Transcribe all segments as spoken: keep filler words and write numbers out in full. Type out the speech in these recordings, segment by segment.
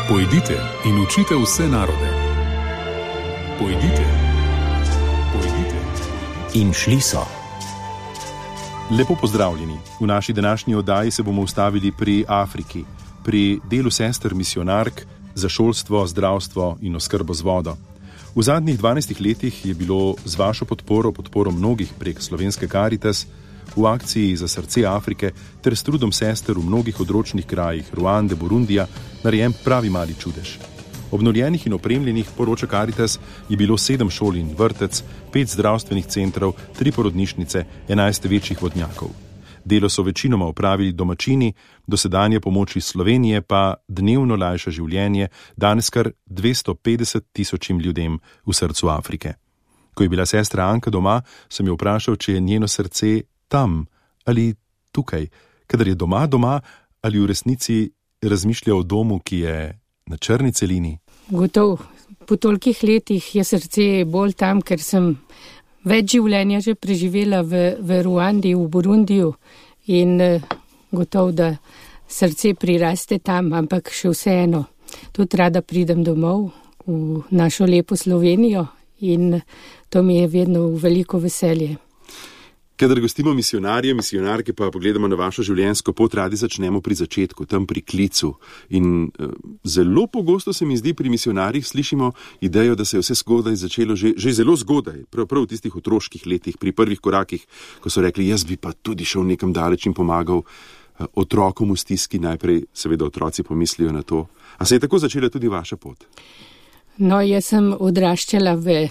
Pojdite in učite vse narode. Pojdite, pojdite. In šli so. Lepo pozdravljeni. V naši današnji oddaji se bomo ustavili pri Afriki, pri delu sester misionark za šolstvo, zdravstvo in oskrbo z vodo. V zadnjih dvanajstih letih je bilo z vašo podporo, podporo mnogih prek slovenske Karitas, v akciji za srce Afrike ter s trudom sester v mnogih odročnih krajih Ruande, Burundija, narejen pravi mali čudež. Obnovljenih in opremljenih, poroča Karitas, je bilo sedem šol in vrtec, pet zdravstvenih centrov, tri porodnišnice, enajst večjih vodnjakov. Delo so večinoma opravili domačini, dosedanje pomoči Slovenije pa dnevno lajša življenje danes kar dvesto petdeset tisočim ljudem v srcu Afrike. Ko je bila sestra Anka doma, sem jo vprašal, če je njeno srce tam ali tukaj, kadar je doma doma ali v resnici razmišlja o domu, ki je na črni celini. Gotov, po tolikih letih je srce bolj tam, ker sem več življenja že preživela v, v Ruandi, v Burundiju in gotov, da srce priraste tam, ampak še vseeno. Tudi rada pridem domov v našo lepo Slovenijo in to mi je vedno veliko veselje. Kadar gostimo misionarje, misionarke, pa pogledamo na vašo življenjsko pot, radi začnemo pri začetku, tam pri klicu. In uh, zelo pogosto se mi zdi pri misionarjih slišimo idejo, da se je vse zgodaj začelo že, že zelo zgodaj, prav, prav v tistih otroških letih, pri prvih korakih, ko so rekli, jaz bi pa tudi šel nekam daleč in pomagal uh, otrokom v stiski, najprej seveda otroci pomislijo na to. A se je tako začela tudi vaša pot? No, jaz sem odraščala v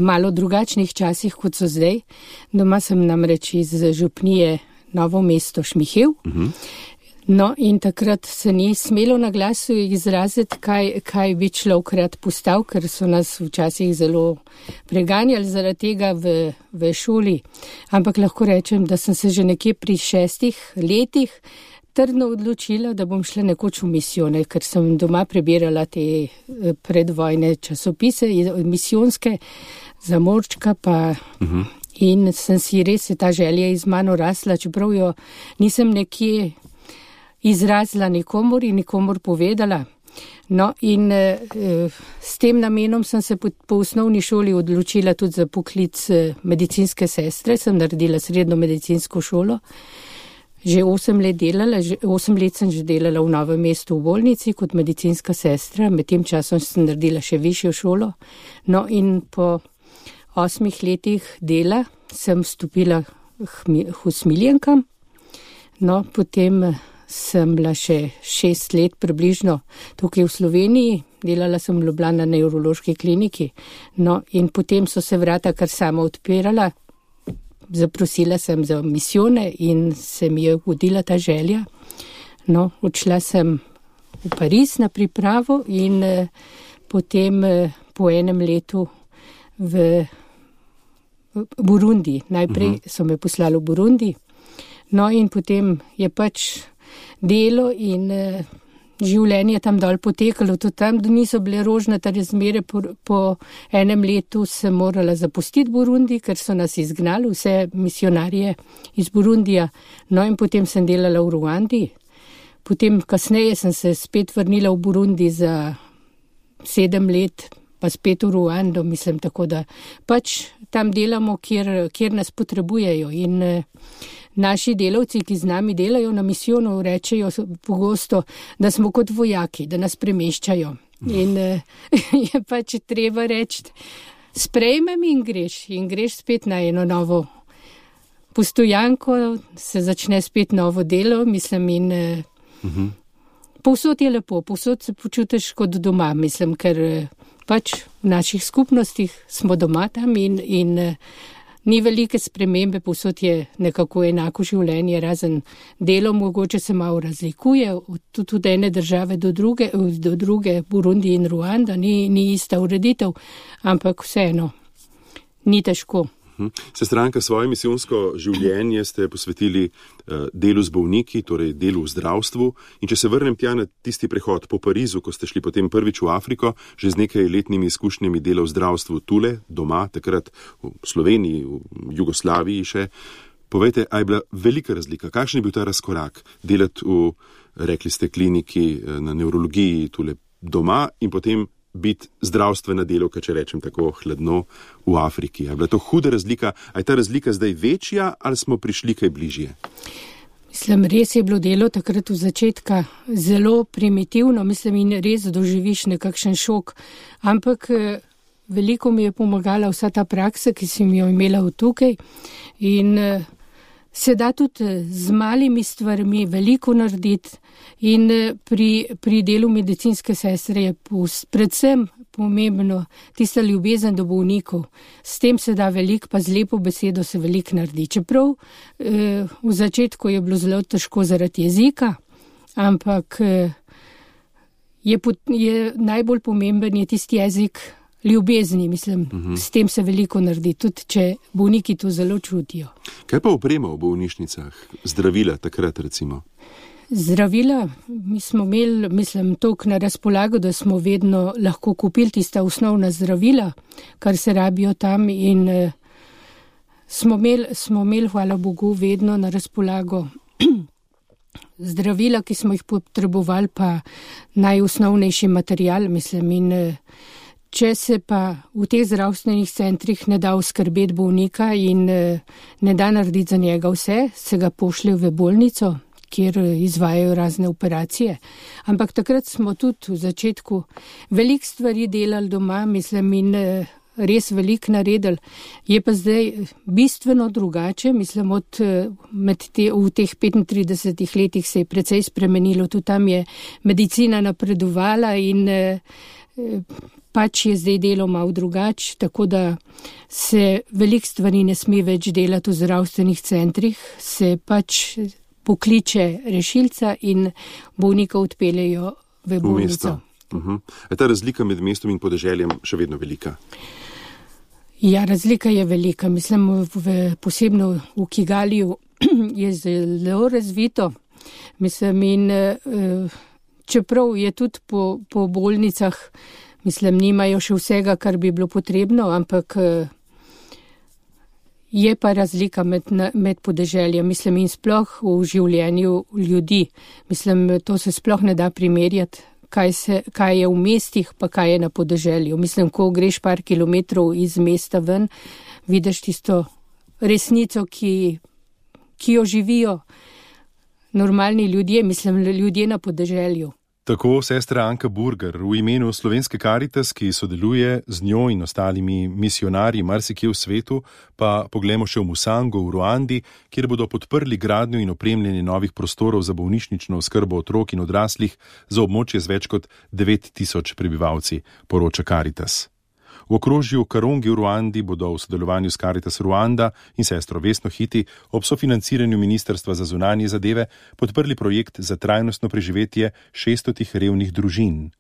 malo drugačnih časih, kot so zdaj. Doma sem namreč iz župnije Novo mesto Šmihev. Uh-huh. No, in takrat se ni smelo na glasu izraziti, kaj, kaj bi človek rad postal, ker so nas včasih zelo preganjali zaradi tega v, v šoli. Ampak lahko rečem, da sem se že nekje pri šestih letih trdno odločila, da bom šla nekoč v misijone, ker sem doma prebirala te predvojne časopise, misijonske, za morčka pa uh-huh. in sem si res ta želja iz mano rasla, čeprav jo nisem nekje izrazila nikomor in nikomor povedala. No in eh, s tem namenom sem se po, po osnovni šoli odločila tudi za poklic medicinske sestre, sem naredila srednjo medicinsko šolo. Že osem let delala, že osem let sem že delala v Novem mestu v bolnici kot medicinska sestra, med tem časom sem naredila še višjo šolo. No in po osmih letih dela sem vstopila k usmiljenkam, no potem sem bila še šest let približno tukaj v Sloveniji, delala sem v Ljubljani na nevrološki kliniki, no in potem so se vrata kar sama odpirala. Zaprosila sem za misijone in se mi je vodila ta želja. No, odšla sem v Pariz na pripravo in eh, potem eh, po enem letu v, v Burundi. Najprej uh-huh. so me poslali v Burundi, no in potem je pač delo in eh, življenje tam dol potekalo, tudi tam niso bile rožnate razmere. Po, po enem letu sem morala zapustiti Burundi, ker so nas izgnali, vse misionarje iz Burundija. No in potem sem delala v Ruandi. Potem kasneje sem se spet vrnila v Burundi za sedem let, pa spet v Ruando, mislim, tako da pač tam delamo, kjer, kjer nas potrebujejo. In eh, naši delavci, ki z nami delajo na misijonu, rečejo pogosto, da smo kot vojaki, da nas premeščajo. In eh, je pač treba reči, sprejmem in greš. In greš spet na eno novo postojanko, se začne spet novo delo, mislim, in eh, uh-huh. povsod je lepo, povsod se počutiš kot doma, mislim, ker eh, pač v naših skupnostih smo doma tam in, in eh, ni velike spremembe, povsod je nekako enako življenje, razen delo mogoče se malo razlikuje, tudi od ene države do druge, do druge, Burundi in Ruanda, ni, ni ista ureditev, ampak vseeno, ni težko. Sestranka, svoje misijonsko življenje ste posvetili uh, delu z bolniki, torej delu v zdravstvu. In če se vrnem tja na tisti prehod po Parizu, ko ste šli potem prvič v Afriko, že z nekaj letnimi izkušnjami dela v zdravstvu tule, doma, takrat v Sloveniji, v Jugoslaviji še. Povejte, a je bila velika razlika? Kakšen je bil ta razkorak delati v rekli ste, kliniki, na nevrologiji, tule doma in potem biti zdravstvena delavka, če rečem tako hladno, v Afriki. Je bila to huda razlika? A je ta razlika zdaj večja ali smo prišli kaj bližje? Mislim, res je bilo delo takrat v začetka zelo primitivno, mislim, in res doživiš nekakšen šok, ampak veliko mi je pomagala vsa ta praksa, ki sem jo imela v tukaj in se da tudi z malimi stvarmi veliko narediti in pri, pri delu medicinske sestre je predvsem pomembno tista ljubezen do bolnikov. S tem se da veliko, pa z lepo besedo se veliko naredi. Čeprav eh, v začetku je bilo zelo težko zaradi jezika, ampak eh, je, je najbolj pomemben je tisti jezik ljubezni, mislim, uh-huh. S tem se veliko naredi, tudi če bolniki to zelo čutijo. Kaj pa oprema v bolnišnicah? Zdravila takrat recimo? Zdravila, mi smo imeli, mislim, toliko na razpolago, da smo vedno lahko kupili tista osnovna zdravila, kar se rabijo tam in eh, smo imeli, smo imeli, hvala Bogu, vedno na razpolago zdravila, ki smo jih potrebovali, pa najosnovnejši material, mislim, in eh, če se pa v teh zdravstvenih centrih ne da oskrbeti bolnika in ne da narediti za njega vse, se ga pošlje v bolnico, kjer izvajajo razne operacije. Ampak takrat smo tudi v začetku veliko stvari delali doma, mislim, in res veliko naredili. Je pa zdaj bistveno drugače, mislim, od, med te, v teh petintridesetih letih se je precej spremenilo, tudi tam je medicina napredovala in pač je zdaj delo malo drugače, tako da se veliko stvari ne sme več delati v zdravstvenih centrih, se pač pokliče rešilca in bolnika odpeljejo v bolnico. Uh-huh. Je ta razlika med mestom in podeželjem še vedno velika? Ja, razlika je velika. Mislim, v, posebno v Kigaliju je zelo razvito. Mislim, in čeprav je tudi po, po bolnicah, mislim, nimajo še vsega, kar bi bilo potrebno, ampak je pa razlika med, med podeželjem, mislim, in sploh v življenju ljudi. Mislim, to se sploh ne da primerjati, kaj, se, kaj je v mestih, pa kaj je na podeželju. Mislim, ko greš par kilometrov iz mesta ven, vidiš tisto resnico, ki, ki jo živijo normalni ljudje, mislim, ljudje na podeželju. Tako sestra Anka Burger v imenu Slovenske Karitas, ki sodeluje z njo in ostalimi misionarji marsikje v svetu, pa poglejmo še v Musango v Ruandi, kjer bodo podprli gradnjo in opremljanje novih prostorov za bolnišnično oskrbo otrok in odraslih za območje z več kot devet tisoč prebivalci, poroča Karitas. V okrožju Karongi v Ruandi bodo v sodelovanju s Karitas Ruanda in sestro Vesno Hiti ob sofinanciranju Ministrstva za zunanje zadeve podprli projekt za trajnostno preživetje šeststotih revnih družin.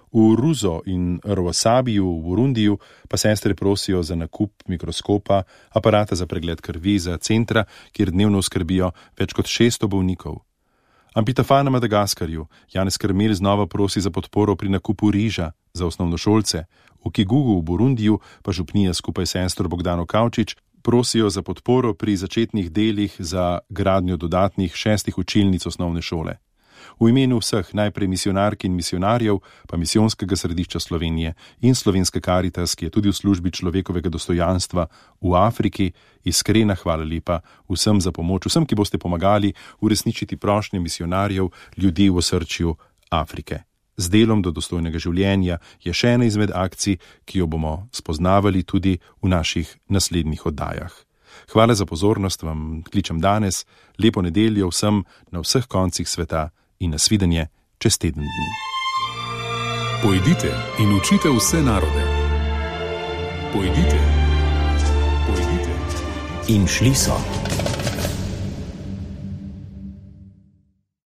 V Ruzo in Rwasabiju v Burundiju pa sestre prosijo za nakup mikroskopa, aparata za pregled krvi za centra, kjer dnevno skrbijo več kot šeststo bolnikov. Ampitafa na Madagaskarju Janez Krmel znova prosi za podporo pri nakupu riža za osnovnošolce. V Kigugu v Burundiju pa župnija skupaj s sestro Bogdano Kavčič prosijo za podporo pri začetnih delih za gradnjo dodatnih šestih učilnic osnovne šole. V imenu vseh najprej misionark in misionarjev, pa Misijonskega središča Slovenije in Slovenske Karitas, ki je tudi v službi človekovega dostojanstva v Afriki, iskrena hvala lepa vsem za pomoč, vsem, ki boste pomagali uresničiti prošnje misionarjev ljudi v osrčju Afrike. Z delom do dostojnega življenja je še ena izmed akcij, ki jo bomo spoznavali tudi v naših naslednjih oddajah. Hvala za pozornost vam kličem danes, lepo nedeljo vsem na vseh koncih sveta in nasvidenje čez teden dni. Pojdite in učite vse narode. Pojdite. Pojdite. In šli so.